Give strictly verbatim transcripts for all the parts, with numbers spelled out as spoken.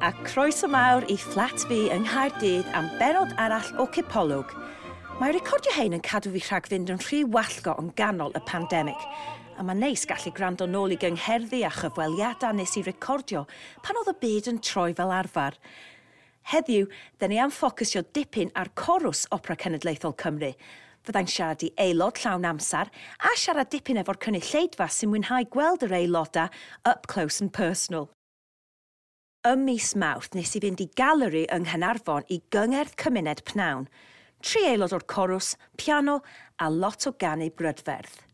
A croeso mawr i fflat fi yng Nghaerdydd am benod arall o Cipolwg. Mae recordio hein yn cadw fi rhag fynd yn rhy wallgo yn ganol y pandemig. A mae'n neis gallu gwrando nôl i gyngherddi a chyfweliadau nes i recordio pan oedd y byd yn troi fel arfer. Heddiw, dyn ni am ffocysio dipyn ar corws Opera Cenedlaethol Cymru. Fyddai'n siarad i aelod llawn amser a siarad dipyn efo'r cynulleidfa sy'n mwynhau gweld yr aelodau up close and personal. Ym mis Mawrth nes i fynd i galeri yng Nghaernarfon i gyngerdd cymuned pnawn. Tri aelod o'r corws, piano a lot o ganu brydferth.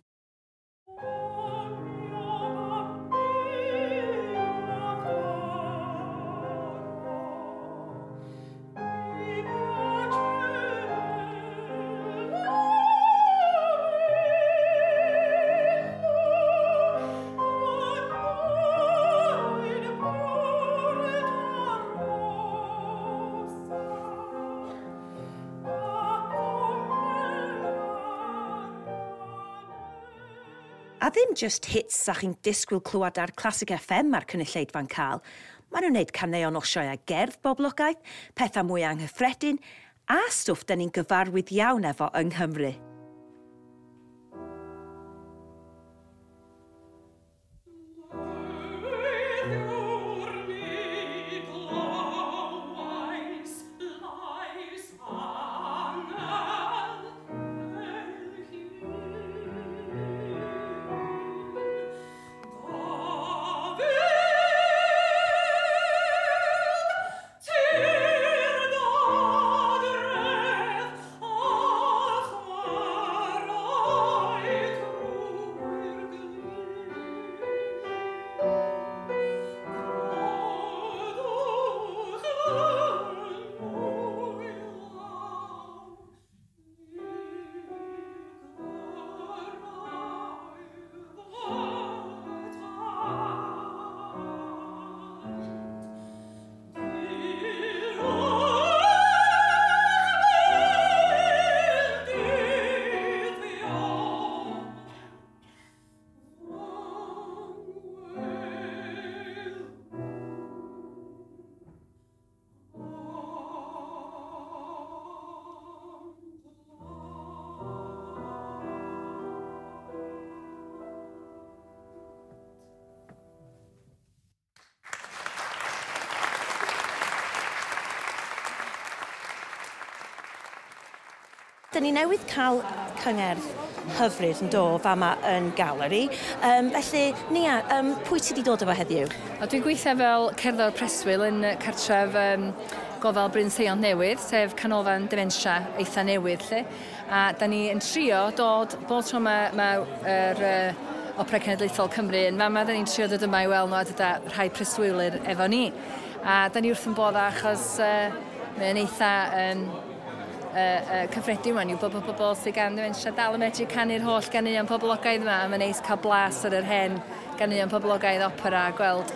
A ddim just hits sa chi'n disgwyl clywed ar Classic F M mae'r cynulleidfa'n cael. Maen nhw'n neud caneuon o sioeau gerdd boblogaidd, pethau mwy anghyffredin, a stwff dyn ni'n gyfarwydd iawn efo yng Nghymru. Dyn ni newydd cael cyngerdd hyfryd yn do fama yn galeri. Um, felly, Nia, um, pwy ti wedi dod efo heddiw? O, dwi'n gweithio fel cerddor preswyl yn cartref um, gofal Bryn Seiont Newydd, sef canolfan dementia eitha newydd, lle. A da ni yn trio dod, bob tro mae ma, yr, uh, Opera Cenedlaethol Cymru yn fama, da ni'n trio dod yma i weld nhw a dod â rhai preswylwyr efo ni. A da ni wrth yn bodd achos uh, mae'n eitha... Um, Uh, uh, cyffredin wan yw bod pobl sydd gan dementia dal yn medru canu'r holl ganeuon poblogaidd yma, a mae'n neis cael blas ar yr hen ganeuon poblogaidd opera a gweld,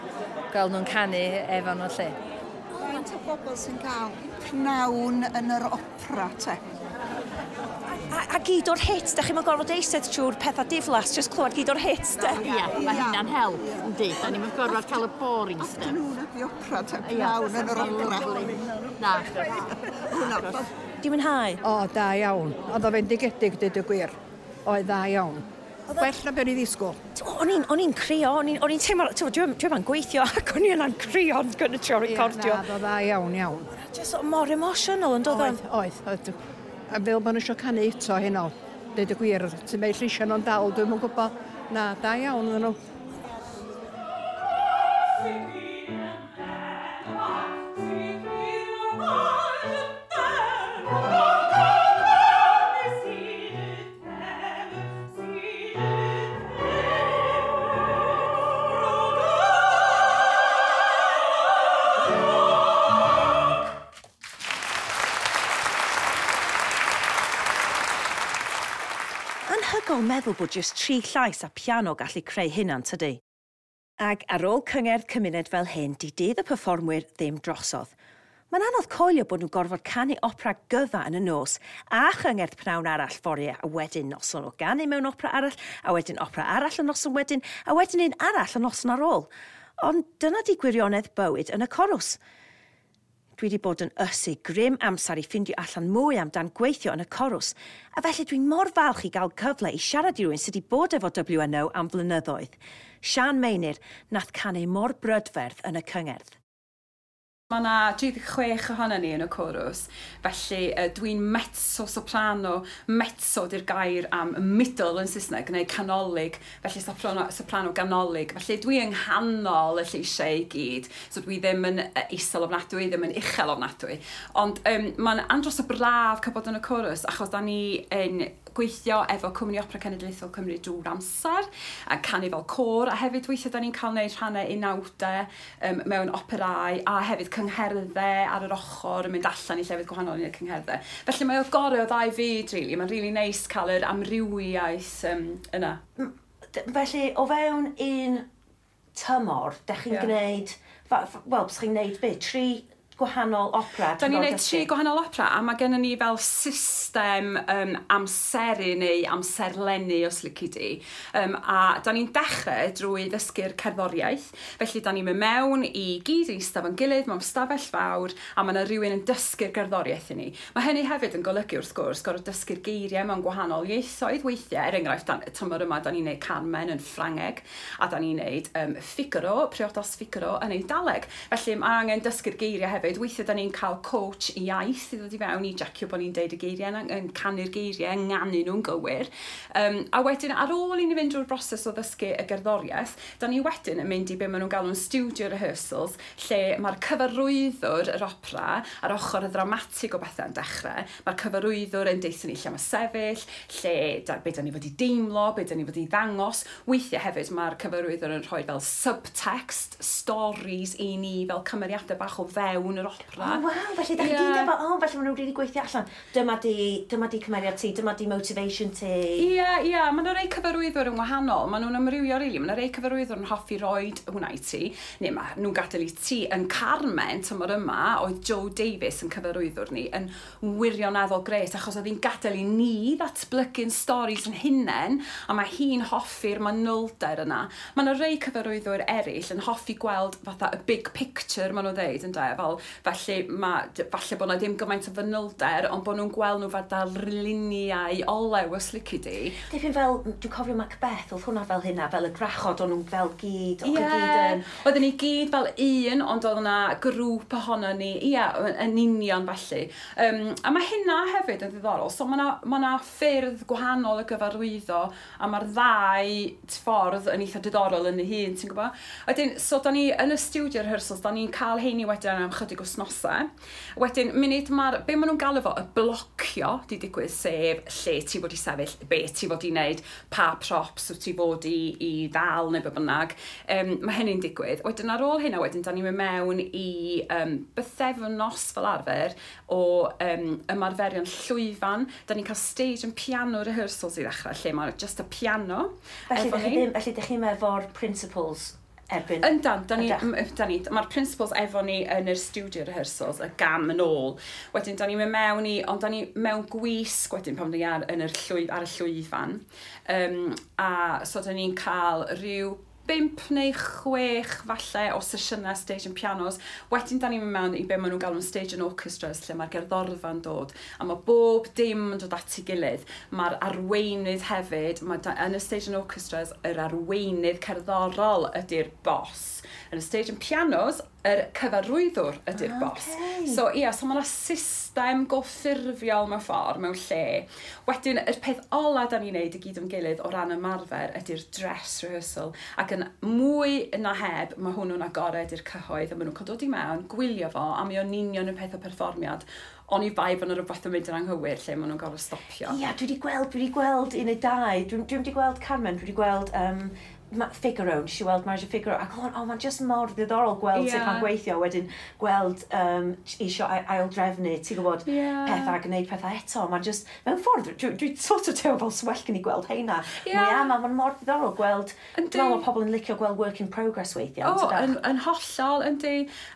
gweld nhw'n canu efo nhw lle. Faint o bobl sy'n cael pnawn yn yr opera te? A, a gyd o'r hits, da chi'n gorfod eistedd trwy'r pethau diflas, jyst clywed gyd o'r hits, de? Ia, mae hynna'n help, yndi. Da ni'n gorfod cael y boring stuff. Afternoon at the opera, te, pnawn yn yr opera. Na. Hwnna. Di mwynhau? O, da iawn. Oedd o fendigedig, dweud y gwir. Oedd dda iawn. Well na be o'n i ddisgwyl. O'n i'n crio, o'n i'n teimlo, dwi'n dwi'n gweithio ac o'n i yna'n crio yn gynnu trio recordio. Na, oedd o dda iawn, iawn. Just mor emotional yn dod o'n? Oedd, oedd. A fel bod nhw eisiau canu eto heno, dweud y gwir, ti'n meddwl lleisio nhw'n dal, dwi'm yn gwybod. Na, da iawn oedden nhw. Anhygoel meddwl bod jyst tri llais a piano gallu creu hynna'n tydi. Ag ar ôl cyngerdd cymuned fel hyn, di dydd y perfformwyr ddim drosodd. Mae'n anodd coelio bod nhw'n gorfod canu opera gyfa yn y nos a chyngerdd pnawn arall fory, a wedyn noson o ganu mewn opera arall, a wedyn opera arall y noson wedyn, a wedyn un arall y noson ar ôl. Ond dyna di gwirionedd bywyd yn y corws. Dwi wedi bod yn ysu grym amser i ffindio allan mwy amdan gweithio yn y corws, a felly dwi'n mor falch i gael cyfle i siarad i rywun sydd wedi bod efo W N O am flynyddoedd. Sian Meinir, nath canu mor brydferth yn y cyngerdd. Mae yna tri deg chwech ohono ni yn y corws, felly uh, dwi'n mezzo soprano. Mezzo di'r gair am middle yn Saesneg, neu canolig, felly soprano, soprano ganolig. Felly dwi yng nghanol y lleisiau i gyd, so dwi ddim yn isel ofnadwy, ddim yn uchel ofnadwy. Ond um, mae'n andros o braf cael bod yn y corws, achos da ni yn gweithio efo Cwmni Opera Cenedlaethol Cymru drwy'r amser, a canu fel côr, a hefyd weithiau da ni'n cael gwneud rhannau unawdau um, mewn operau, a hefyd cyngherddau ar yr ochr yn mynd allan i llefydd gwahanol i wneud cyngherddau. Felly mae o gorau o ddau fyd, really. Mae'n really neis cael yr amrywiaeth um, yna. Felly, o fewn un tymor, dech chi'n yeah. gwneud, wel, chi'n gwneud beth, tri gwahanol opera? Da ni'n gwneud tri gwahanol opera, a mae gennym ni fel system um, amseru neu amserlennu, os lici di. Um, a da ni'n dechrau drwy ddysgu'r cerddoriaeth. Felly da ni'n mynd mewn i gyd i eistedd fo'n gilydd mewn stafell fawr, a mae yna rhywun yn dysgu'r gerddoriaeth i ni. Mae hynny hefyd yn golygu, wrth gwrs, gorfod dysgu'r geiriau mewn gwahanol ieithoedd weithiau. Er enghraifft, dan, tymor yma, da ni'n neud Carmen yn Ffrangeg, a da ni'n neud um, Figaro, Priodas Figaro yn Eidaleg. Felly mae angen dysgu'r geiriau hefyd. Weithiau da ni'n cael coach iaith i ddod i fewn i jecio bod ni'n deud y geiriau, yn canu'r geiriau, yn nganu nhw'n gywir. Um, a wedyn, ar ôl i ni fynd drwy'r broses o ddysgu y gerddoriaeth, da ni wedyn yn mynd i be maen nhw'n galw'n studio rehearsals, lle mae'r cyfarwyddwr yr opera ar ochr y ddramatig o bethau yn dechrau. Mae'r cyfarwyddwr yn deutha ni lle mae sefyll, lle da, be da ni fod i deimlo, be da ni fod i ddangos. Weithiau hefyd mae'r cyfarwyddwr yn rhoi fel subtext, stories i ni fel cymeriadau bach o fewn yr opera. Oh, waw, felly da chi yeah. gyd efo, oh, felly maen nhw'n really gweithio allan. Dyma di, dyma di cymeriad ti, dyma di motivation ti. Ie, yeah, ie, yeah. Mae yna rei cyfarwyddwyr yn wahanol. Maen nhw'n amrywio, really. Mae yna rei cyfarwyddwyr yn hoffi roid hwnna i ti, neu mae nhw'n gadael i ti. Yn Carmen, tymor yma, oedd Joe Davis yn cyfarwyddwr ni, yn wirioneddol gret, achos oedd hi'n gadael i ni ddatblygu'n stories yn hunain, a mae hi'n hoffi'r manylder yna. Mae yna rei cyfarwyddwyr eraill yn hoffi gweld fatha y big picture, maen nhw'n dweud, ynde, fel, felly ma, falle bod na ddim gymaint o fanylder, ond bod nhw'n gweld nhw fel darluniau olew, os lici di. Dipyn fel, dwi'n cofio Macbeth, oedd hwnna fel hynna, fel y gwrachod, o'n nhw'n fel gyd, o'n yeah. gyd yn. Oedden ni gyd fel un, ond oedd yna grŵp ohono ni, ie, yeah, yn union felly. Um, a mae hynna hefyd yn ddiddorol, so mae yna ma na ffyrdd gwahanol o gyfarwyddo, a mae'r ddau ffordd yn eitha diddorol yn ei hun, ti'n gwybod? Wedyn, so da ni yn y studio rehearsals, da ni'n cael heini wedyn am chydig wythnosau. Wedyn, munud mae'r, be maen nhw'n galw fo, y blocio di digwydd, sef lle ti fod i sefyll, be ti fod i wneud, pa props wyt ti fod i, i ddal neu be bynnag. Um, mae hynny'n digwydd. Wedyn ar ôl hynna, wedyn, da ni'n mynd mewn i um, bythefnos fel arfer o um, ymarferion llwyfan. Da ni'n cael stage and piano rehearsals i ddechrau, lle mae just y piano. Felly, dych chi ddim, felly dych chi'n efo'r principals erbyn? Yndan, da ni, da ni, mae'r principals efo ni yn yr studio rehearsals, y gam yn ôl. Wedyn, da ni'n mynd mewn i, ond da ni mewn gwisg wedyn pan ni ar, yn yr llwy, ar y llwyfan. Um, a so da ni'n cael rhyw bump neu chwech falle o sesiynau stage and pianos. Wedyn da ni'n mynd mewn i be maen nhw'n galw'n stage and orchestras, lle mae'r gerddorfa'n dod. A mae bob dim yn dod at ei gilydd. Mae'r arweinydd hefyd, mae da, yn y stage and orchestras, yr arweinydd cerddorol ydy'r boss. Yn y stage and pianos, yr cyfarwyddwr ydy'r okay. boss. So ia, yeah, so mae yna system go ffurfiol mewn ffordd, mewn lle. Wedyn, y peth ola da ni'n neud i gyd o'n gilydd o ran ymarfer ydy'r dress rehearsal. Ac yn mwy na heb, mae hwnnw'n agored i'r cyhoedd, a maen nhw'n cael dod i mewn, gwylio fo, a mae o'n union y peth o perfformiad. Oni bai bod yna rhywbeth yn mynd yn anghywir lle maen nhw'n gorfod stopio. Ia, dwi wedi gweld, dwi wedi gweld un neu dau. Dwi, dwi wedi gweld Carmen, dwi wedi gweld um, Figaro, nes i weld Marriage of Figaro, ac o'n, oh, mae'n just mor ddiddorol gweld yeah. sut mae'n gweithio, wedyn gweld um, isio ail-drefnu, ti'n gwybod, yeah. pethau a gwneud pethau eto, mae'n just, mewn ffordd, dwi, dwi sort of teimlo fel swell gen i gweld heina. Yeah. Mwy ama, mae'n mor ddiddorol gweld, dwi'n meddwl mae pobl yn licio gweld work in progress weithiau. O, oh, yn, yn hollol, yndi.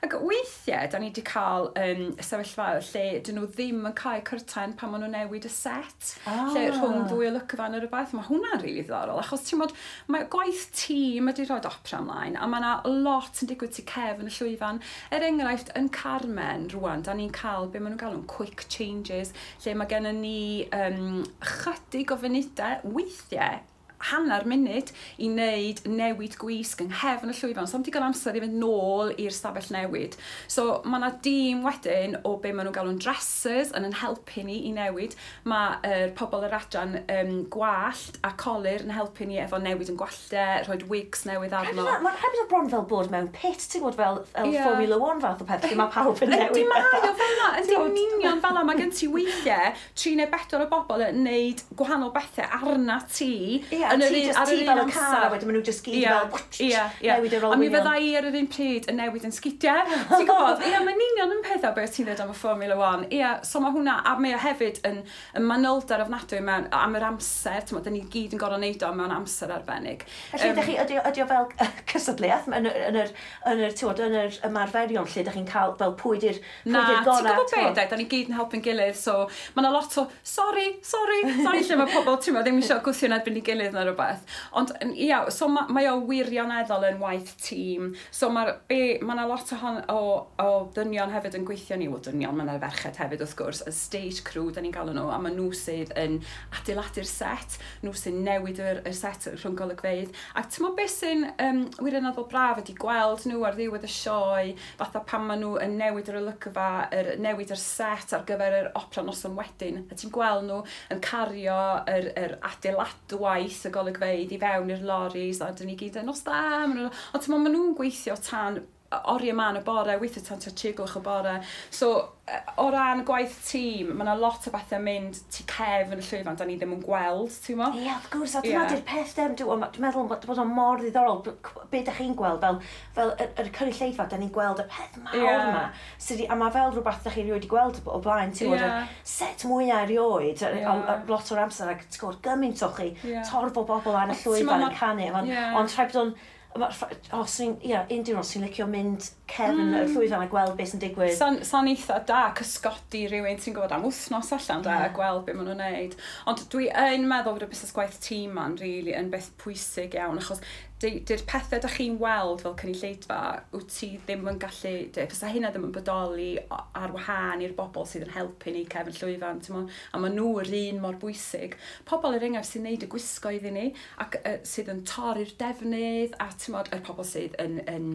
Ac weithiau, da ni wedi cael um, sefyllfaoedd lle dyn nhw ddim yn cael curtain pan maen nhw'n newid y set, ah. lle rhwng ddwy olygfa neu rhywbeth. Mae hwnna'n rili really ddiddorol, achos ti'n modd, mae gwaith Gwaith tîm ydy rhoi opera ymlaen, a mae yna lot yn digwydd tu cefn y llwyfan. Er enghraifft, yn Carmen rwan, da ni'n cael be maen nhw'n galw'n quick changes, lle mae gennym ni um, chydig o funudau, weithiau, hanner munud i wneud newid gwisg yng nghefn y llwyfan. So, am digon amser i fynd nôl i'r stafell newid. So, mae yna dîm wedyn o be maen nhw'n galw'n dressers yn yn helpu ni i newid. Mae er, pobl yr adran um, gwallt a colur yn helpu ni efo newid yn gwalltau, rhoi wigs newydd arno. Mae'n hefyd o bron fel bod mewn pit, ti'n gwybod, fel, fel Ie. Formula One fath o peth, lle mae pawb yn newid. Yndi, mae o fel 'na, yndi, yn union fel 'na. Mae gen ti weithiau tri neu bedwar o bobl yn neud gwahanol bethau arna ti. Ie, yn yr ti un- just ar ti yr un fel y car, amser. a wedyn maen nhw just gyd Ie, fel ie, ie. newid yr A mi olwynion. fydda i ar yr un pryd yn newid yn sgidiau. Ti'n gwybod? Ie, mae'n union yn pethau beth ti'n dweud am y Formula One. Ie, so mae hwnna, a mae o hefyd yn, yn manylder ofnadwy mewn, am yr amser. Ti'n gwbod, da ni gyd yn gorfod neud o mewn amser arbennig. Felly, Yym, ydych chi, ydy, ydy o fel cystadleuaeth yn yr, yn yr, yn yr, ti'n gwbod, yn yr ymarferion lle ydych chi'n cael fel pwy di'r pwy Na, di'r ti'n gorau? gwybod be, de, da ni gyd yn helpu'n gilydd, so mae yna lot o, sorry, sorry, sorry, lle mae pobl, ti'n meddwl, ddim eisiau gwthio yn erbyn ei gilydd neu rhywbeth. Ond, yn- ia, so ma, mae o wirioneddol yn waith tîm. So mae'r, be, mae yna lot o, hon, o, o dynion hefyd yn gweithio ni, wel dynion, mae yna ferched hefyd wrth gwrs, y stage crew, da ni'n galw nhw, a mae nhw sydd yn adeiladu'r set, nhw sy'n newid yr, y set rhwng golygfeydd. Ac ti'n meddwl beth sy'n um, wirioneddol braf ydy gweld nhw ar ddiwedd y sioe, fatha pan maen nhw yn newid yr olygfa, yr, newid yr set ar gyfer yr opera noson wedyn, a ti'n gweld nhw yn cario yr, yr adeiladwaith y golygfeydd i fewn i'r loris, a dyn ni gyd yn nos da, ma' nhw- ond ti'n meddwl, maen nhw'n gweithio tan oriau man y bore, weithio tan tua tri gloch y bore. So, yy, o ran gwaith tîm, mae yna lot o bethau mynd tu cefn y llwyfan, da ni ddim yn gweld, ti'n mo? Ie, wrth gwrs, a dyna Ie. di'r peth dem, dwi'n dwi'n meddwl bod bod o'n mor ddiddorol, b- be ydych chi'n gweld, fel, fel yr, yr cynulleidfa, da ni'n gweld y peth mawr Ie. yma, sydd 'di- a mae fel rhywbeth ydych chi rioed wedi gweld o blaen, ti'n gwybod, Ie. y set mwyaf erioed, y- Ie. a- a lot o'r amser, ac ti'n gwybod, gymaint o chi, Ie. torf o bobl ar y Ond ti'n llwyfan meddwl yn canu, ond Ie. ond rhaid bod o'n, ma- o, swn i'n, ie, un diwrnod, swn i'n licio mynd cefn y llwyfan a gweld beth sy'n digwydd. Sa'n sa'n eitha da cysgodi rhywun ti'n gwybod am wythnos allan da, a gweld beth maen nhw'n neud. Ond dwi yn meddwl bod y busnes gwaith tîm ma'n really yn beth pwysig iawn, achos di'r pethau da chi'n weld fel cynulleidfa, wyt ti ddim yn gallu, dy, fysa hynna ddim yn bodoli o- ar wahân i'r bobl sydd yn helpu ni cefn llwyfan, ti'n mo? A maen nhw yr un mor bwysig. Pobl er enghraifft sy'n neud y gwisgo iddyn ni, ac uh, sydd yn torri'r defnydd, a ti'n modd, yr pobl sydd yn, yn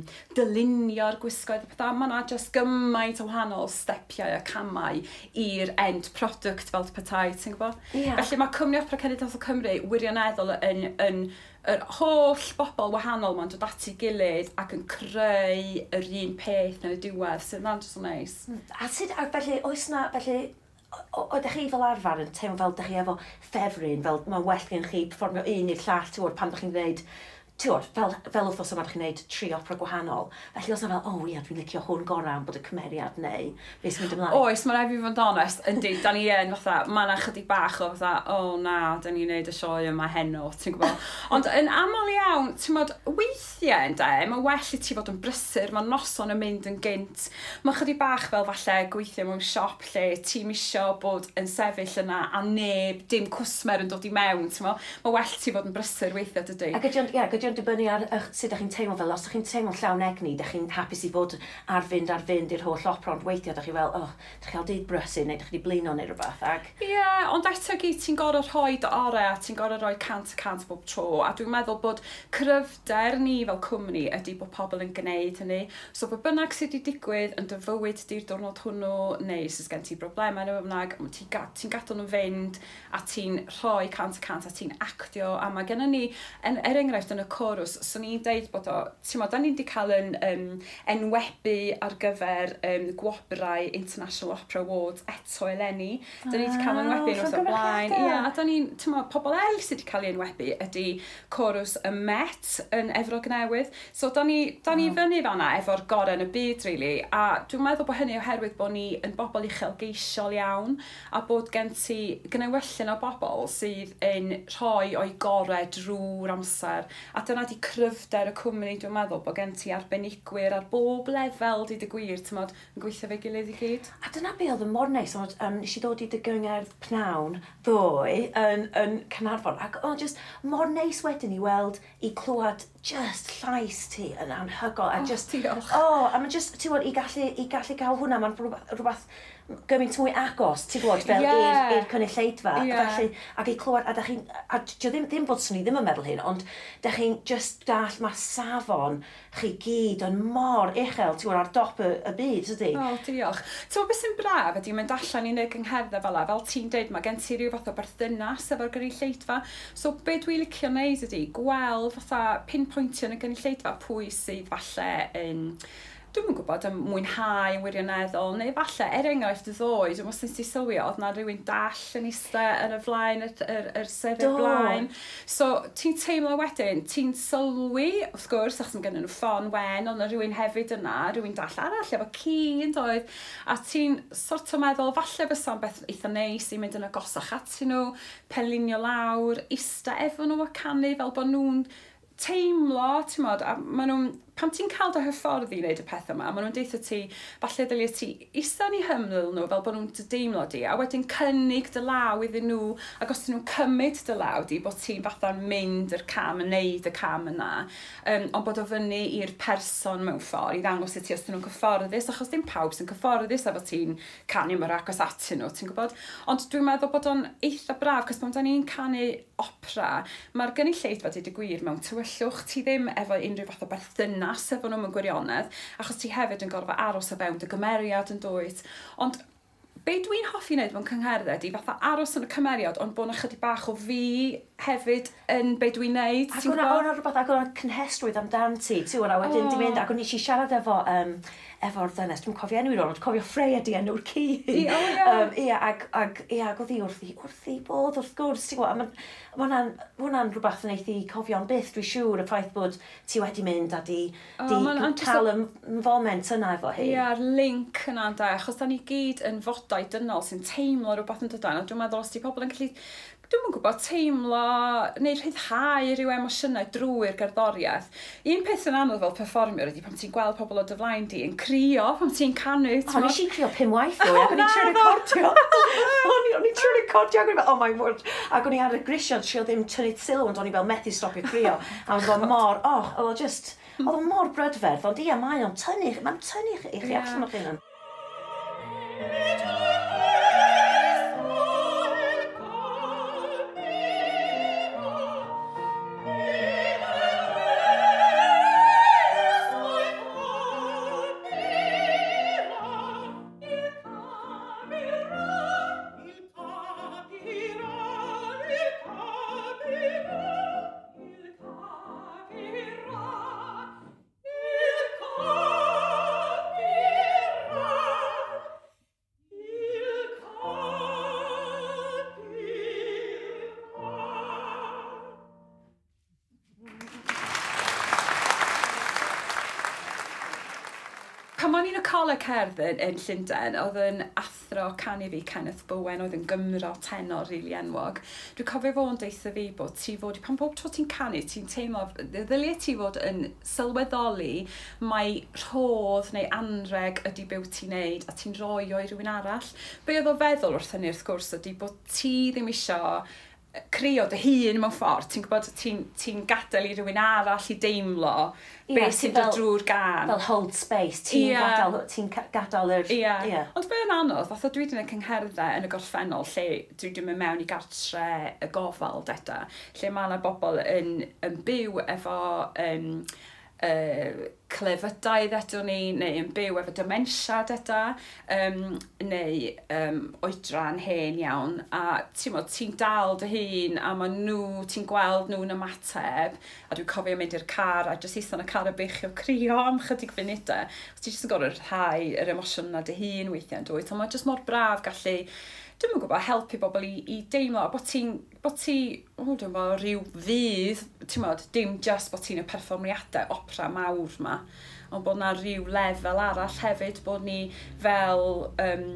dylunio'r gwisgoedd a pethau. Mae yna just gymaint o wahanol stepiau a camau i'r end product fel petai, ti'n gwybod? Ie. Felly mae Cwmni Opera Cenedlaethol Cymru wirioneddol yn, yn yr holl bobl wahanol ma'n dod at ei gilydd ac yn creu yr un peth yn y diwedd, sydd yna'n just so nice. A sut, a felly, oes na, felly, o- o- oeddech chi fel arfer yn teimlo fel dych chi efo ffefryn, fel mae'n well gen chi perfformio un i'r llall, ti'n gwybod, pan dych chi'n gwneud, ti'n gwybod, fel, fel wythnos yma dych chi'n gwneud tri opera gwahanol. Felly oes na fel, o oh, ia, dwi'n licio hwn gorau am bod y cymeriad neu beth sy'n mynd ymlaen. Oes, mae rhaid fi fod yn onest, yndi, da ni yn fatha, mae yna chydig bach o fatha, o oh, na, da ni'n neud y sioe yma heno, ti'n gwybod. Ond yn aml iawn, ti'n gwbod, weithiau ynde, mae well i ti fod yn brysur, mae noson yn mynd yn gynt. Mae chydig bach fel falle gweithio mewn siop lle ti'n isio bod yn sefyll yna a neb, dim cwsmer yn dod i mewn, ti'n gwbod. Mae well ti fod yn brysur weithiau, dydy. Ac ydy o'n, ie, ydy o'n dibynnu ar eich, sut ydych chi'n teimlo fel, os ydych chi'n teimlo'n llawn egni, ydych chi'n hapus i fod ar fynd ar fynd i'r holl opera, ond weithiau ydych chi fel, oh, ydych chi'n cael dydd brysur, neu ydych chi wedi blino neu rhywbeth, ac Ie, yeah, ond eto gyd ti'n gorfod rhoi dy orau a ti'n gorfod rhoi cant y cant bob tro. A dwi'n meddwl bod cryfder ni fel cwmni ydy bod pobl yn gwneud hynny. So be bynnag sydd wedi digwydd yn dy fywyd di'r diwrnod hwnnw, neu sydd gen ti broblemau neu be bynnag, ti'n ga ti gadael nhw fynd a ti'n rhoi cant y cant a ti'n actio. A mae gennym ni, en, er enghraifft yn y chorws, so ni'n deud bod o, ti'n mo, da ni wedi cael yn um, enwebu ar gyfer um, gwobrau International Opera Awards eto eleni. Da ni wedi cael enwebu yn wrth o blaen. Llongyfarchiadau. Ie, a da ni'n, ti'n mo, pobl eraill sydd wedi cael ei enwebu ydy chorws y Met yn Efrog Newydd. So da ni, da ni fyny fanna efo'r gorau yn y byd, really. A dwi'n meddwl bod hynny oherwydd bod ni yn bobl uchelgeisiol iawn a bod gen ti gnewyllyn o bobl sydd yn rhoi o'i gorau drwy'r amser. A dyna di cryfder y cwmni, dwi'n meddwl, bod gen ti arbenigwyr ar bob lefel, deud y gwir, ti'n modd, yn gweithio fe gilydd i gyd. A dyna be oedd yn mor neis, ond um, nes i ddod i dy gyngerdd pnawn ddoe yn, yn Caernarfon, ac oedd just mor neis wedyn i weld, i clywed just llais ti yn anhygoel. A oh, just, diolch. Oh, a mae just, ti'n gwybod, i gallu, i gallu cael hwnna, mae'n rhywbeth gymaint mwy agos, ti'n gwybod, fel yeah. i'r cynulleidfa. Yeah. Felly, ac i clywed, a da chi'n, a dio ddim, ddim bod swn i ddim yn meddwl hyn, ond da chi'n just dall, mae safon chi gyd yn mor uchel, ti'n gwybod, ar dop y, y byd, ydy? O, oh, diolch. Ti'n gwybod beth sy'n braf ydy mynd allan i wneud gyngherddau fel la, fel ti'n deud, mae gen ti rhyw fath o berthynas efo'r gynulleidfa. So, be dwi'n licio wneud ydy, gweld fatha pinpointio yn y gynulleidfa pwy sydd falle yn, dwi'm yn gwybod, yn mwynhau yn wirioneddol, neu falle, er enghraifft ddoe, dwi'n meddwl ti sylwi, oedd na rhywun dall yn eistedd yn y flaen, yr, yr, yr sedd y blaen. So, ti'n teimlo wedyn, ti'n sylwi, wrth gwrs, achos mae gennyn nhw ffon wen, ond na rhywun hefyd yna, rhywun dall arall efo ci yn doedd, a ti'n sort o meddwl, falle fysa'n beth eitha neis i mynd yn agosach atyn nhw, penlinio lawr, ista efo nhw a canu fel bod nhw'n teimlo, ti'n modd, a maen nhw'n, pan ti'n cael dy hyfforddi i wneud y peth yma, maen nhw'n deutha ti, falle ddylia ti ista yn eu hymyl nhw fel bod nhw'n dy deimlo di, a wedyn cynnig dy law iddyn nhw, ac os dyn nhw'n cymryd dy law di, bod ti'n fatha'n mynd yr cam, yn neud y cam yna, um, ond bod o fyny i'r person mewn ffordd, i ddangos i ti os dyn nhw'n cyfforddus, achos dim pawb sy'n cyfforddus efo ti'n canu mor agos atyn nhw, ti'n gwybod? Ond dwi'n meddwl bod o'n eitha braf, cos pan da ni'n canu opera, mae'r gynulleidfa, deud y gwir, mewn tywyllwch, ti ddim efo unrhyw fath o berthynas efo nhw mewn gwirionedd, achos ti hefyd yn gorfod aros o fewn dy gymeriad yn dwyt. Ond be dwi'n hoffi wneud mewn cyngherddau ydi fatha aros yn y cymeriad, ond bod 'na chydig bach o fi hefyd yn be dwi'n wneud. Ac o'na o'na rhywbeth, ac o'na cynhesrwydd amdan ti, ti'n gwybod, a wedyn oh. di mynd, ac o'n i siarad efo, um, efo'r ddynes, dwi'n cofio enw i rôn, ond cofio Freya di enw'r ci. I, oh, yeah. um, ia, ac, ac, ia, ac oedd hi wrth i, wrth i bodd, wrth gwrs, ti'n gwybod, a ma, ma hwnna'n, hwnna'n rhywbeth yn eith i cofio'n byth, dwi'n siŵr, y ffaith bod ti wedi mynd a di, oh, di ma, cael y foment yna efo hi. Ia'r link yna, da, achos da ni gyd yn fodau dynol sy'n teimlo rhywbeth yn dydan, a dwi'n meddwl os di pobl yn gallu, dwi'm yn gwybod, teimlo neu rhyddhau rhyw emosiynau drwy'r gerddoriaeth. Un peth yn anodd fel perfformiwr ydy pan ti'n gweld pobl o dy flaen di yn crio pan ti'n canu. O, nes i crio pum waith ddoe, ac o'n i'n trio recordio. O'n i'n trio recordio, ac o'n i'n fel, oh my word. Ac o'n i ar y grisiau, trio ddim tynnu sylw, ond o'n i fel methu stopio crio. A o'n fel mor, oh, oedd o just, oedd o mor brydferth, ond ia, mae o'n tynnu, mae'n tynnu i chi allan o'ch hunan. Pan o'n i'n y coleg cerdd yn, yn Llundain, oedd yn athro canu fi, Kenneth Bowen, oedd yn Gymro tenor rili enwog. Dwi'n cofio fo'n deutha fi bod ti fod, pan bob tro ti'n canu, ti'n teimlo, ddylia ti fod yn sylweddoli mai rhodd neu anreg ydy be wyt ti'n neud a ti'n rhoi o i rywun arall. Be oedd o feddwl wrth hynny wrth gwrs ydy bod ti ddim isio crio dy hun mewn ffordd, ti'n gwybod, ti'n ti gadael i rywun arall i deimlo yeah, beth sy'n dod drwy'r gân. Fel hold space, ti'n yeah. gadael, ti'n gadael yr... Ie. Yeah. Yeah. Ond be yn anodd, fatha dwi wedi gwneud cyngherddau yn y gorffennol lle dwi wedi mynd mewn i gartre y gofal deda, lle mae yna bobl yn, yn byw efo um, uh, clefydau ddedwn ni, neu yn byw efo dementia deda, um, neu um, oedran hen iawn, a ti'n mo, ti'n dal dy hun, a ma nhw, ti'n gweld nhw'n ymateb, a dwi'n cofio mynd i'r car, a jyst eistedd yn y car a beichio crio am chydig funudau. Ti jyst yn gorfod rhyddhau yr emosiwn yna dy hun weithiau yn dwyt, ond mae jyst mor braf gallu, dwi'm yn gwybod, helpu bobl i, i deimlo, a bod ti'n, bod ti, o, dwi'n gwybod, rhyw ddydd, ti'n modd, dim just bod ti'n y perfformiadau opera mawr ma, ond bod na rhyw lefel arall hefyd, bod ni fel um,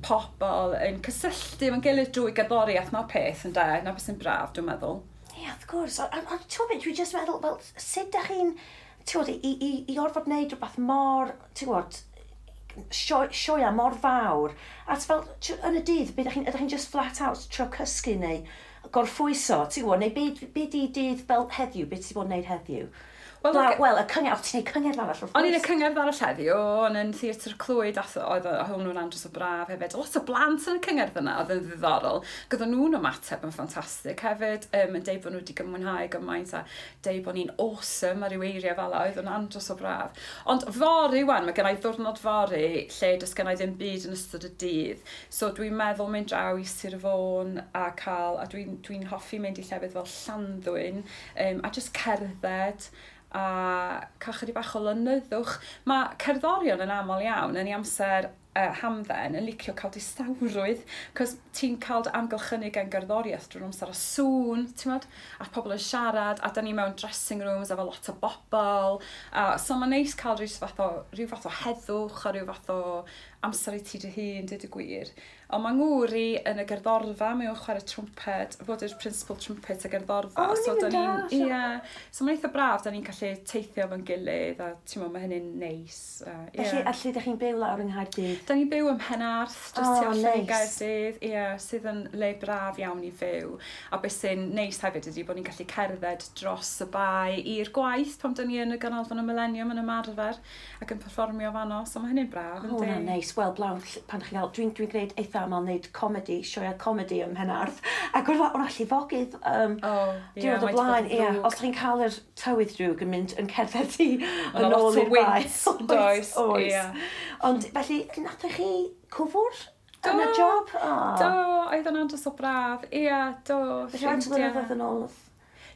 pobl yn cysylltu efo'n gilydd drwy gerddoriaeth, na'r peth, ynde, na beth sy'n braf, dwi'n meddwl. Ia, wrth gwrs. A, a, a ti'n gwybod, dwi jyst meddwl, fel, sut dach chi'n, ti'n gwybod, i, i, i orfod wneud rhywbeth mor, ti'n gwybod, sioe, sioea mor fawr, a ti fel, ti- yn y dydd, be ydych chi'n, ydych chi'n just flat out trio cysgu neu gorffwyso, ti'n gwybod, neu be, be di dydd fel heddiw, be ti 'di bod yn neud heddiw? Wel, Wel, ag- wel, y cyngerdd, o, ti'n neud cyngerdd arall, wrth O'n i'n y gwrs. cyngerdd arall heddiw, o'n yn Theatr Clwyd, ath, oedd hwnnw'n andros o braf hefyd. Lot o blant yn y cyngerdd yna, oedd yn ddiddorol. Gyda nhw'n ymateb yn ffantastig hefyd, um, yn deud bod nhw wedi mwynhau gymaint a deud bod ni'n awesome a ryw eiriau fel 'a, oedd yn andros o braf. Ond fory wan, mae gen i ddwrnod fory lle does gen i ddim byd yn ystod y dydd. So dwi'n meddwl mynd draw i Sir Fôn a cael, a dwi'n dwi hoffi mynd i llefydd fel Llanddwyn, um, a just cerdded a cael chydig bach o lonyddwch. Mae cerddorion yn aml iawn yn ei amser uh, hamdden yn licio cael distawrwydd, cos ti'n cael dy amgylchynu gan gerddoriaeth drwy'r amser a sŵn, ti'n modd, a pobl yn siarad, a da ni mewn dressing rooms efo lot o bobl, a, so mae'n neis cael rhyw fath o, rhyw fath o heddwch a rhyw fath o amser i ti dy hun, dweud y gwir. Ond mae ngŵr i yn y gerddorfa, mae o'n chwarae trwmped, fod yw'r principal trumpet y gerddorfa. O, so ni'n da ni'n, dallt. ie, so mae'n eitha braf, da ni'n gallu teithio efo'n gilydd, a ti'n meddwl, mae hynny'n neis. A, ie. Felly, a lle ydych chi'n byw lawr yng Nghaerdydd? Da ni'n byw ym Mhenarth, jyst O, tu allan i neis. Gaerdydd, ie, sydd yn le braf iawn i fyw. A beth sy'n neis hefyd ydy bod ni'n gallu cerdded dros y bae i'r gwaith pan da ni yn y Ganolfan y Millennium yn ymarfer ac yn perfformio fanno, so mae hynny'n braf, O, yndi? hwnna'n neis. Wel, blawn, pan ydych chi'n cael, dwi'n dwi gwneud eitha aml wneud comedi, sioea comedi ym Mhenarth, ac oedd o'na llifogydd um, O, ie, diwrnod o mae 'di bod blaen. yn Ie, ddrwg. os chi'n cael yr tywydd drwg yn mynd yn cerdded i Ma' yn 'na lot ôl o i'r bae. wynt, does? Oes. Ie. Ond felly, nathoch chi cwfwr yn y Do. job? O. Do, oedd o'n andros o braf. Ie, do. Felly, faint o ffrindiau. flynyddoedd yn ôl?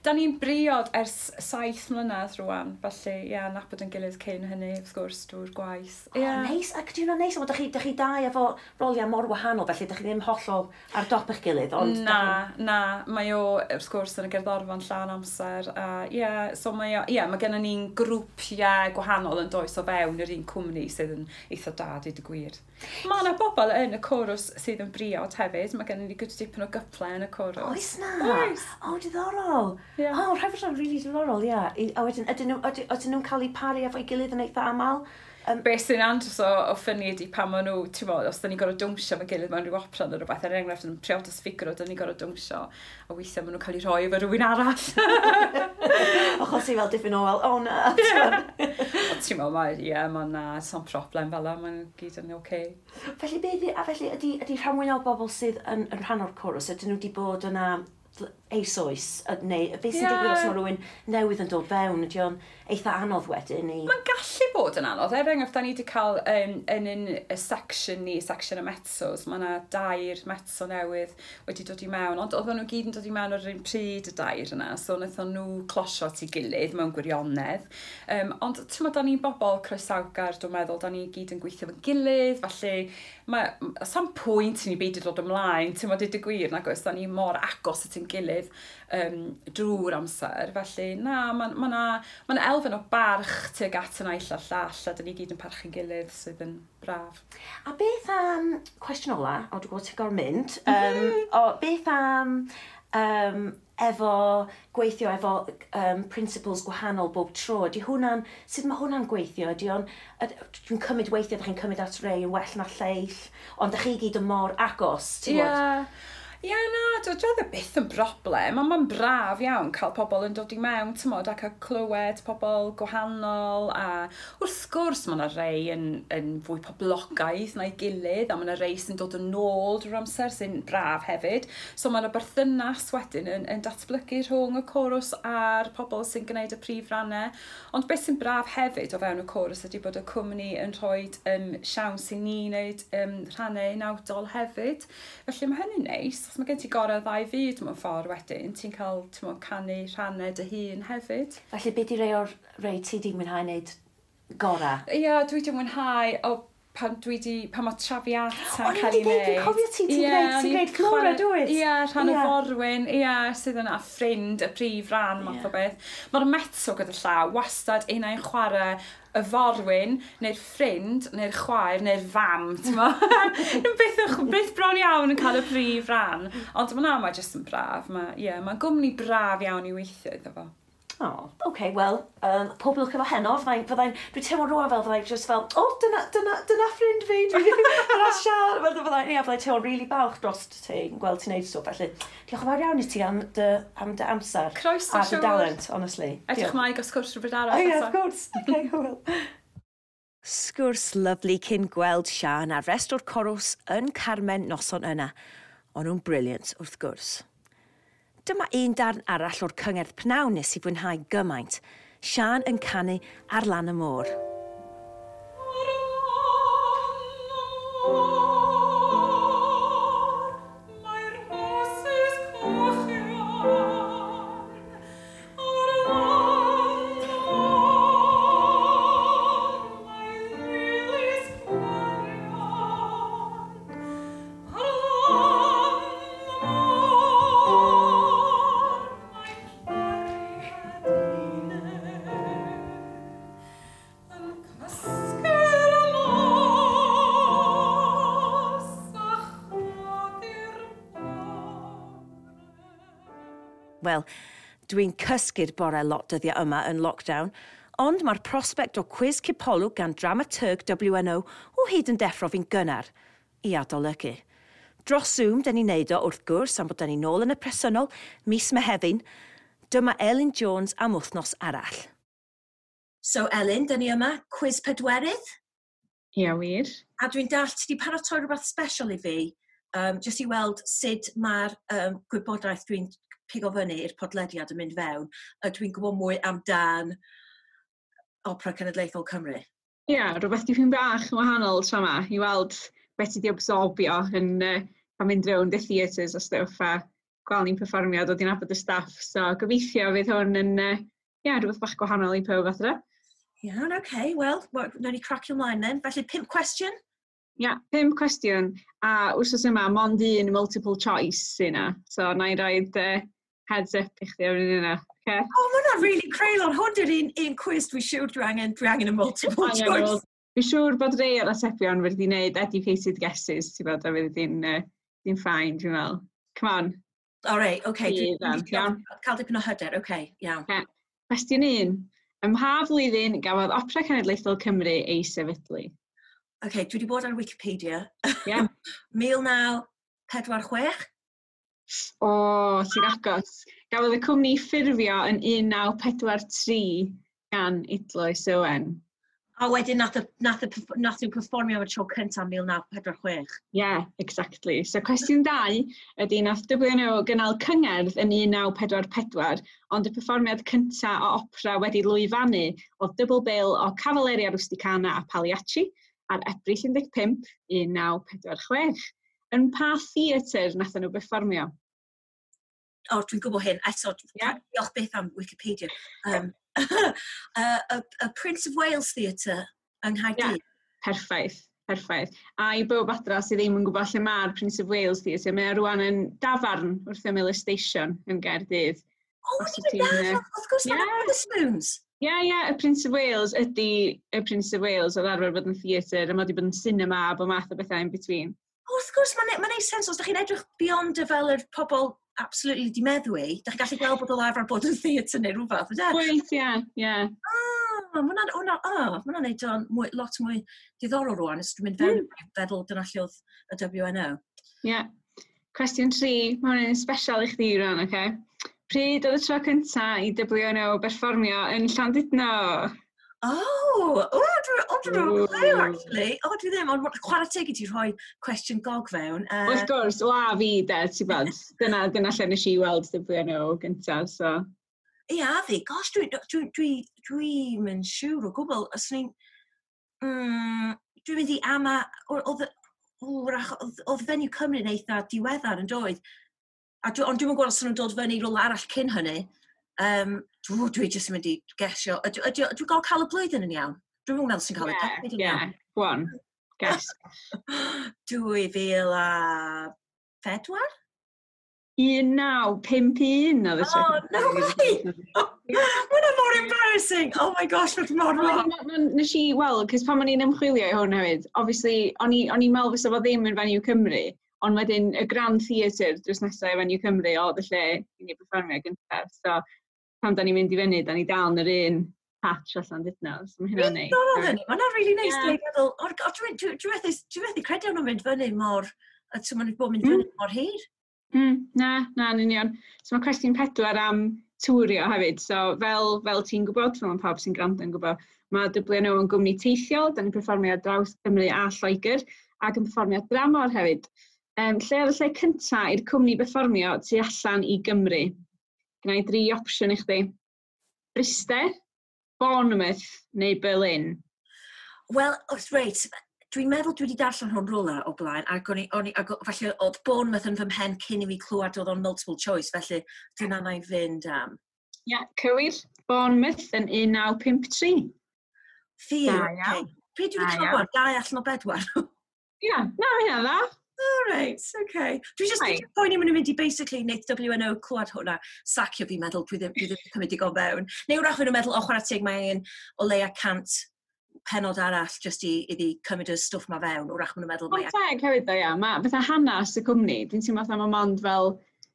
Da ni'n briod ers saith mlynedd rwan, felly ie, yeah, nabod yn gilydd cyn hynny, wrth gwrs, drwy'r gwaith. O, Ie. neis, ac di hwnna'n neis, ond dych chi, dych chi dau efo roliau mor wahanol, felly dych chi ddim hollol ar dop eich gilydd, ond... Na, na, mae o, wrth gwrs, yn y gerddorfa'n llawn amser. A ie, yeah, so mae o, ie, yeah, mae gennym ni'n grwpiau gwahanol yn does o fewn yr un cwmni sydd yn eitha da, dweud y gwir. Mae yna bobl yn y chorus sydd yn briod hefyd. Mae gennym ni good dipyn o gyplau yn y chorus. Oes na? Oes. O, diddorol. Ie. O, rhaid fod o'n rili diddorol, ie. I- A wedyn, ydyn nhw, ydyn, ydyn nhw'n cael eu paru efo'i gilydd yn eitha aml? Um, Be sy'n andros o, o funny ydi pan maen nhw, ti'n modd, os da ni'n gorfod dawnsio efo'n gilydd mewn rhyw opera neu rhywbeth, er enghraifft yn Priodas Figaro, da ni'n gorfod dawnsio, a weithiau maen nhw'n cael eu rhoi efo rhywun arall. Achos i fel dipyn o fel, o na. Ond ti'n modd, mae, ie, mae na, sa'n problem fel 'na, mae'n gyd yn oce. Felly, be, ydi- a felly, ydy, ydy rhan fwyaf o bobl sydd yn, yn rhan o'r chorus, ydyn nhw wedi bod yna fl- eisoes, y- neu beth sy'n Ie. digwydd os mae rhywun newydd yn dod fewn, ydy o'n eitha anodd wedyn i... Mae'n gallu bod yn anodd. Er enghraifft, da ni wedi cael um, yn un y section ni, section y mezzos, mae yna dair mezzo newydd wedi dod i mewn, ond oedden nhw gyd yn dod i mewn ar yr un pryd y dair yna, so wnaethon nhw closio at ei gilydd mewn gwirionedd. Um, ond ti'n meddwl, da ni'n bobl croesawgar, dwi'n meddwl, da ni gyd yn gweithio efo'n gilydd, felly mae, sam pwynt i ni beidio dod ymlaen, ti'n meddwl, deud y gwir, nag oes, da ni mor agos at ein gilydd um, drwy'r amser, felly na, mae ma na, ma na elfen o barch tuag at y naill a'r llall, a da ni gyd yn parchu'n gilydd sydd yn braf. A beth am, cwestiwn ola, o dwi'n gwybod ti'n gorfod mynd, um, o, beth am um, efo gweithio efo um, principals gwahanol bob tro, ydy hwnna'n, sut mae hwnna'n gweithio? Ydy o'n, yd- dwi'n cymryd weithiau, ydych chi'n cymryd at rei yn well na lleill, ond ydych chi gyd yn mor agos, ti'n gwybod? Ie. Ie, na, dwi dwi byth yn broblem, ond mae'n braf iawn cael pobl yn dod i mewn, ti'n modd, ac a clywed pobl gwahanol, a wrth gwrs mae yna rei yn, yn fwy poblogaidd na'i gilydd, a mae yna rei sy'n dod yn ôl drwy'r amser sy'n braf hefyd. So mae yna berthynas wedyn yn, yn datblygu rhwng y chorus a'r pobl sy'n gwneud y prif rannau. Ond beth sy'n braf hefyd o fewn y chorus ydy bod y cwmni yn rhoi um, siawns i ni wneud um, rhannau unawdol hefyd. Felly mae hynny'n neis, achos mae gen ti gorau ddau fyd mewn ffordd wedyn, ti'n cael ti'n mo, canu rhannau dy hun hefyd. Felly, be di rei o'r rei ti di mwynhau wneud gora? Ie, yeah, dwi wedi mwynhau o pan dwi di, pan mae Traviata O'n i'n cael ei mynd i ddeud, wneud. dwi'n cofio ti, ti'n Ie, gwneud- o'n ti'n i'n gwneud Flora, chwarae- dwyt? Ie, rhan Ie. y forwyn, ie, sydd yna ffrind, y prif ran, math o beth. Mae'r Mezzo gyda llaw, wastad un ai'n chwarae y forwyn, neu'r ffrind, neu'r chwaer, neu'r fam, ti'n mo? Byth, yn- byth bron iawn yn cael y prif ran. Ond mae na, mae jyst yn braf. Mae, ie, mae'n gwmni braf iawn i weithio iddo fo. Oh, okay, wel, um, pob lwc efo heno. Fyddai'n, fyddai'n, dwi'n teimlo rwan fel fyddai'n just fel, oh, dyna, dyna, dyna ffrind fi, dwi, dyna Sian. Fel fyddai'n, ie, fyddai'n teimlo really balch dros ti, yn gweld ti'n neud stwff. Felly, diolch yn fawr iawn i ti am dy, am dy amser. Croeso, A dy siŵr. dalent, honestly. Edrych Diolch. mlaen i gael sgwrs rhywbryd arall. Oh, yeah, eto. of course. Okay, hwyl. Sgwrs lyfli cyn gweld Sian a'r rest o'r corws yn Carmen noson yna. O'n nhw'n brilliant, wrth gwrs. Dyma un darn arall o'r cyngerdd pnawn nes i fwynhau gymaint. Sian yn canu ar lan y môr. Mae'r rhosys cochion ar lan y môr. Mae lilis gwarion ar lan y môr. Mae cariad yn cysgu'r nos a chodi'r bore. Wel, dwi'n cysgu'r bore lot dyddiau yma yn lockdown, ond mae'r prospect o cwis cipolwg gan dramaturg W N O o hyd yn deffro fi'n gynnar i adolygu. Dros Zoom, dyn ni'n neud o wrth gwrs am bod dyn ni nôl yn y presennol mis Mehefin. Dyma Elin Jones am wythnos arall. So Elin, dyn ni yma, cwis pedwerydd. Ie, wir. A dwi'n dallt ti wedi paratoi rhywbeth special i fi, um, jyst i weld sut mae'r um, gwybodaeth dwi'n pigo fyny i'r podlediad yn mynd fewn, a dwi'n gwybod mwy amdan Opera Cenedlaethol Cymru. Ie, rhywbeth dipyn bach yn wahanol tro yma, i weld beth ti wedi absorbio yn uh, pan mynd rownd y theatres a stwff a gweld ni'n perfformio, dod i'n nabod y staff. So gobeithio fydd hwn yn uh, yeah, rhywbeth bach gwahanol i pawb adre. Iawn, oce, okay, wel, nawn ni cracio ymlaen then. Felly, pump cwestiwn? Ia, yeah, pump cwestiwn. A wrthos yma, mond un multiple choice sy'n yna. So, na i roed uh, heads up i chdi ar yna. Okay? O, oh, mae hwnna'n really creulon. Hwn di'r un, un quiz dwi'n siŵr dwi angen, dwi angen y multiple choice. Dwi'n siŵr bod rei o'r atebion wedi gwneud educated guesses, ti'n bod, a fydd di'n uh, di fine, dwi'n meddwl. Come on. All right, okay. Dwi'n Iawn. Cael dipyn o hyder, okay, iawn. Okay. Cwestiwn un. Ym mha flwyddyn gafodd Opera Cenedlaethol Cymru ei sefydlu? Okay, dwi wedi bod ar Wikipedia. Yeah. mil naw pedwar chwech? O, oh, ti'n agos. Gafodd y cwmni ffurfio yn un naw pedwar tri gan Idloes Owen. A wedyn nath, y, nath, y, nath nhw perfformio am y tro cyntaf mil naw pedwar chwech. Yeah, exactly. So cwestiwn dau ydy nath W N O gynnal cyngerdd yn un naw pedwar pedwar, ond y perfformiad cyntaf o opera wedi lwyfannu oedd double bill o Cavalleria Rusticana a Pagliacci ar Ebrill un deg pump, un naw pedwar chwech. Yn pa theatr nath nhw berfformio? O, dwi'n gwybod hyn. Eto, yeah. Diolch byth am Wikipedia. Um, uh, y, y Prince of Wales Theatre yng Nghaerdydd. Yeah. Perffaith, perffaith. A i bawb adra sydd ddim yn gwybod lle mae'r Prince of Wales Theatre, mae o rwan yn dafarn wrth ymyl y station yn Gaerdydd. O, ti'n mynd, wrth gwrs, mae'n Wetherspoons. Ie, ie, y Prince of Wales ydy y Prince of Wales oedd arfer bod yn theatr, a mae wedi bod yn cinema a bod math o bethau in between. O, wrth gwrs, mae'n ma neud sens os ydych chi'n edrych beyond y fel yr pobl absolutely di meddwi, ydych chi'n gallu gweld bod o'n arfer bod yn theatr neu rhywbeth, ydy? Wyt, ie, ie. Ah, mae hwnna'n hwnna, ah, ma hwnna'n neud o'n mwy, lot mwy diddorol rwan, os dwi'n mynd fewn mm. feddwl dyna lle oedd y W N O. Ie. Yeah. Cwestiwn tri, mae hwn yn special i chdi rwan, oce? Okay? Pryd oedd y tro cynta i W N O berfformio yn Llandudno? Oh, oh, dwi'n oh, dwi clue, actually. Oh, dwi ddim, ond chwarae teg i ti rhoi cwestiwn gog fewn. Uh... Wrth gwrs, o a fi de, ti'n bod, dyna, dyna lle nes i weld W N O gyntaf, so. Ie, a fi, gosh, dwi'n dwi, dwi, dwi mynd siŵr o gwbl. Os ni'n... Mm, dwi'n mynd i ama... Oedd, oedd, oedd Venue Cymru yn eitha diweddar yn doedd. A dwi, ond dwi'n gwybod os nhw'n dod fyny rhywle arall cyn hynny. Um, dwi, dwi jyst yn mynd i gesio. Ydw, ydw, dwi'n gael cael y blwyddyn yn iawn? Dwi'n meddwl sy'n cael y decade yn iawn. Ie, go on. Guess. Dwy fil a phedwar? un naw pump un oedd y tro. Oh, no way! Mae hwnna mor embarrassing! Oh my gosh, mae'n mor wrong. Nes i, wel, cos pan o'n i'n ymchwilio i hwn hefyd, obviously, o'n i'n meddwl fysa fo ddim yn Venue Cymru, ond wedyn y Grand Theatre drws nesaf i Venue Cymru oedd y lle i ni perfformio gyntaf. So, pan da ni'n mynd i fyny, da ni dal yn yr un patch allan dydna. So mae hynna'n neis. Mae hwnna'n really nice. Dwi'n meddwl, dwi'n methu credu o'n mynd fyny mor, a ti'n mynd bod mynd fyny mm. mor hir. Mm, na, na, yn union. So mae cwestiwn pedwar am twrio hefyd. So fel, fel ti'n gwybod, fel mae pawb sy'n gwrando yn gwybod, mae W N O yn gwmni teithiol, da ni'n perfformio ar draws Cymru a Lloegr, ac yn perfformio dramor hefyd. Um, lle oedd y lle cyntaf i'r cwmni berfformio tu allan i Gymru? Gwna i dri opsiwn i chdi. Bryste, Bournemouth neu Berlin? Wel, reit, dwi'n meddwl dwi wedi darllen hwn rwla o blaen, ac o'n i, o'n i, ac falle oedd Bournemouth yn fy mhen cyn i fi clywed oedd o'n multiple choice, felly dyna na i fynd am. Ia, yeah, cywir. Bournemouth yn un naw pump tri. Phew, okay. Pryd dwi wedi cael gweld? Dau allan o bedwar. Ia, yeah, na, mae hynna dda. Oh, right, okay. Dwi just right. poeni maen nhw'n mynd i basically wneud W N O clywed hwnna, sacio fi, meddwl dwi ddim, dwi ddim cymryd digon fewn. Neu wrach nhw'n meddwl, o, chwarae teg, mae un o leia cant penod arall just i, iddi cymryd y stwff ma fewn. Wrach maen nhw'n meddwl. Mae'n teg hefyd ddo, ia. Mae fatha hanes y cwmni, dwi'n teimlo fatha mae mond fel,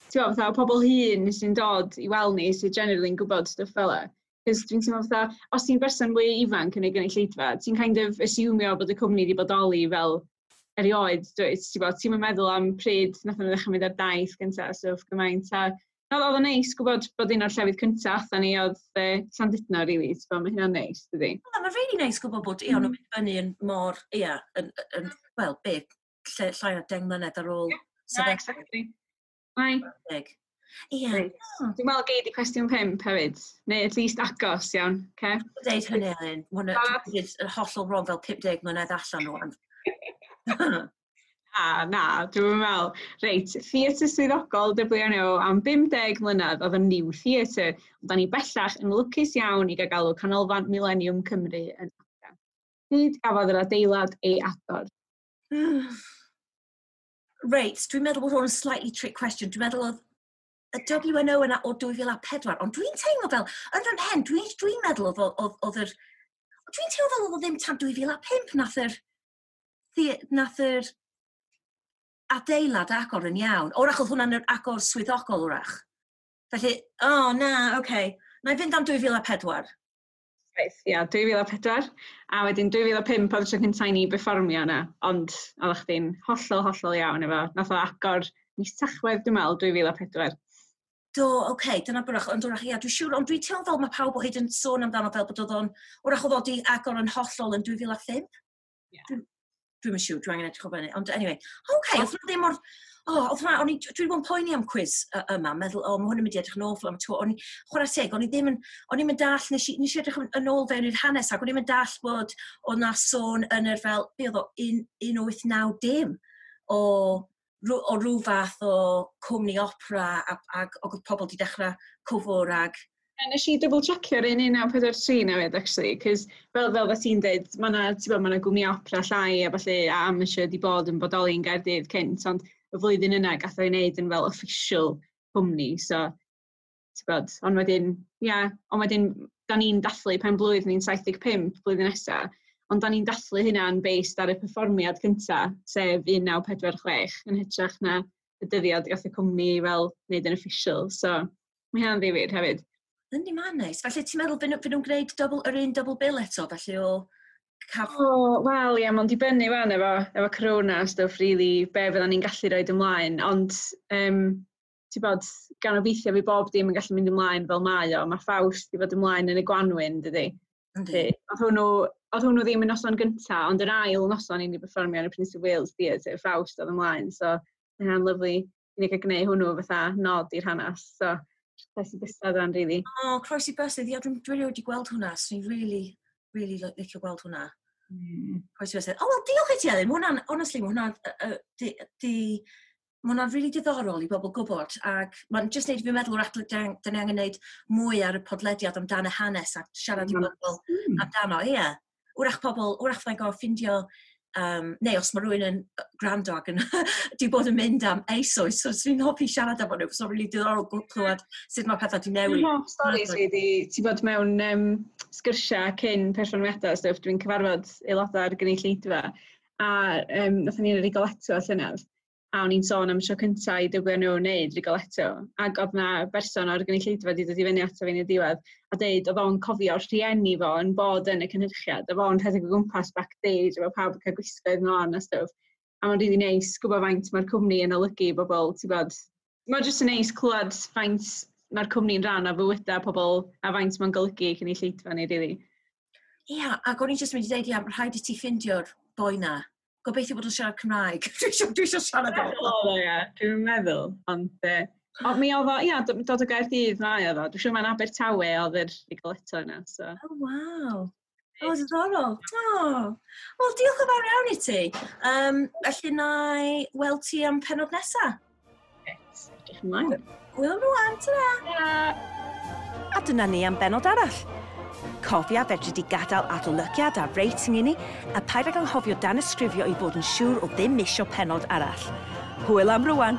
ti'n gwybod, fatha pobl hŷn sy'n dod i weld ni sy'n generally yn gwybod stwff fel e. Cos dwi'n teimlo fatha, os ti'n berson mwy ifanc yn ei gynulleidfa, ti'n kind of assumio bod y cwmni wedi bodoli fel erioed, dwyt, ti'n bod, ti'n meddwl am pryd nath nhw ddechrau mynd ar daith gyntaf, so gymaint. A oedd o'n neis gwybod bod un o'r llefydd cyntaf a ni oedd uh, Llandudno, really, ti'n bod, mae hynna'n neis, dydy. Mae'n really neis gwybod bod, ia, mm. nhw'n mynd fyny yn mor, ia, yn, yn, wel, be, lle, llai o deng mlynedd ar ôl. Yeah, no, exactly. Ai. Ie. Dwi'n meddwl gei di cwestiwn pump hefyd, neu at least agos iawn, okay? Dwi'n deud hynny, Elin, mae hwnna'n hollol wrong fel pump deg mlynedd allan rwan. Na, na, dwi'n meddwl. Reit, theatr swyddogol W N O am bum deg mlynedd oedd y New Theatre, ond da ni bellach yn lwcus iawn i gael galw Canolfan Millennium Cymru yn adra. Pryd gafodd yr adeilad ei agor? Reit, dwi'n meddwl bod hwn yn slightly trick question. Dwi'n meddwl oedd y W N O yna o dwy fil a pedwar, ond dwi'n teimlo fel, yn fy mhen, dwi'n dwi meddwl oedd, oedd, oedd yr... Dwi'n teimlo fel oedd o ddim tan dwy fil a pump nath yr, nath yr adeilad agor yn iawn. Wrach oedd hwnna'n yr agor swyddogol wrach. Felly, o oh, na, oce. Okay. Na i fynd am dwy fil a pedwar. Reit, ia, dwy fil a pedwar. A wedyn dwy fil a pump oedd y tro cyntaf i ni berfformio yna, ond oeddech chdi'n hollol, hollol iawn efo. Nath o agor mis Tachwedd, dwi'n meddwl, dwy fil a pedwar. Do, oce, okay, dyna bwrach, ond wrach, ia, dwi'n siŵr, ond dwi'n teimlo fel mae pawb o hyd yn sôn amdano fel bod oedd o'n, wrach oedd o di agor yn hollol yn dwy fil a pump. Yeah. Dwi'n dwi'n siŵr, dwi'n angen edrych o fyny. Ond anyway, oce, okay, oedd hwnna ddim mor. O, oh, oedd hwnna, o'n i, dwi wedi bod yn poeni am quiz yma, meddwl, o, oh, mae hwn yn mynd i edrych yn awful am y tro. O'n i, chwarae teg, o'n i ddim yn, o'n i'n mynd dall, nes i, nes i edrych yn ôl fewn i'r hanes, ac o'n i'n mynd dall bod oedd na sôn yn yr fel, be oedd o, un wyth naw dim, o, o rhyw fath o cwmni opera, ac, ac, ac oedd pobl wedi dechrau cwfwr ag Nes i double checkio'r un un naw pedwar tri newid, actually, cos fel, fel fe ti'n dweud, mae yna, ma 'na gwmni opera llai a falle a amateur di bod yn bodoli yn Gaerdydd cynt, ond y flwyddyn yna gath o'i wneud yn fel official cwmni, so, ti'n bod, ond wedyn, ia, yeah, ond wedyn, da ni'n dathlu pen blwydd ni'n saith deg pump blwyddyn nesaf, ond da ni'n dathlu hynna'n based ar y perfformiad cynta, sef un naw pedwar chwech, yn hytrach na y dyddiad gath y cwmni fel wneud yn official, so mae hynna'n ddifyr hefyd. Yndi, mae'n neis. Felly ti'n meddwl fy nhw'n gwneud double, yr un double bill eto, felly o caf... O, wel, ie, mae'n dibynnu fan efo, efo corona a stwff, really, be fyddan ni'n gallu rhoi ymlaen, ond, um, ti'n bod, gan obeithio fi bob dim yn gallu mynd ymlaen fel mae o, mae Faust i fod ymlaen yn y gwanwyn, dydy. Yndi. Oedd hwnnw, oedd hwnnw ddim yn noson gynta, ond yr ail noson i ni berfformio yn y Prince of Wales Theatre, Faust oedd ymlaen, so mae hynna'n lyfli i ni gael gwneud hwnnw fatha nod i'r hanes, so croesi bysedd o'n really. O, oh, croesi bysedd, ia, dwi'n dwi wedi gweld hwnna, so ni'n really, really licio gweld hwnna. Mm. Croesi bysedd. O, oh, wel, diolch i ti, Elin. Mae hwnna'n, honestly, mae hwnna'n, uh, di, di, mae hwnna'n really diddorol i bobl gwybod, ac mae'n just neud i fi meddwl wrach dyn ni angen neud mwy ar y podlediad amdano hanes a siarad i bobl mm. amdano, ie. Wrach pobl, wrach fyddai'n gorfod ffindio Um, neu os mae rhywun yn gwrando ac yn di bod yn mynd am eisoes, so swn i'n hoffi siarad efo nhw, so really diddorol clywed sut mae pethau di newid. Dwi'n hoff stories fi di, ti bod mewn um, sgyrsiau cyn perfformiadau, stuff, dwi'n cyfarfod aelodau ar gynulleidfa, a um, nathon ni'n Rigoletto llynedd, a o'n i'n sôn am tro cyntaf i W N O wneud Rigoletto, ac oedd na berson o'r gynulleidfa wedi dod i fyny ato fi yn y diwedd, a deud oedd o'n cofio rhieni fo yn bod yn y cynhyrchiad, a fo'n rhedeg o gwmpas backstage, efo pawb yn cael gwisgoedd mlaen a stwff. A mae'n rili neis gwybod faint mae'r cwmni yn olygu i bobl, ti'n bod. Mae'n jyst yn neis clywed faint mae'r cwmni'n rhan o fywydau pobl a faint mae'n golygu i cynulleidfa ni, rili. Ia, ac o'n i'n jyst mynd i dweud, ia, mae rhaid i ti ffindio'r boi na. Gobeithio bod o'n siarad Cymraeg. Dwi eisiau dwi eisiau siarad o. Oedd o, ie, dwi'n meddwl. Ond, uh, o, mi oedd o, ia, dod o Gaerdydd mae oedd o. Dwi'n siŵr mae'n Abertawe oedd yr Rigoletto yna. So. Oh, waw. O, diddorol. Oh. Wel, diolch yn fawr iawn i ti. Um, felly na i weld ti am penod nesa. Yes, edrych ymlaen. Hwyl rwan, ta. A dyna ni am benod arall. Cofia fedri di gadael adolygiad a rating i ni, a paid ag anghofio danysgrifio i fod yn siŵr o ddim misio penod arall. Hwyl am rwan!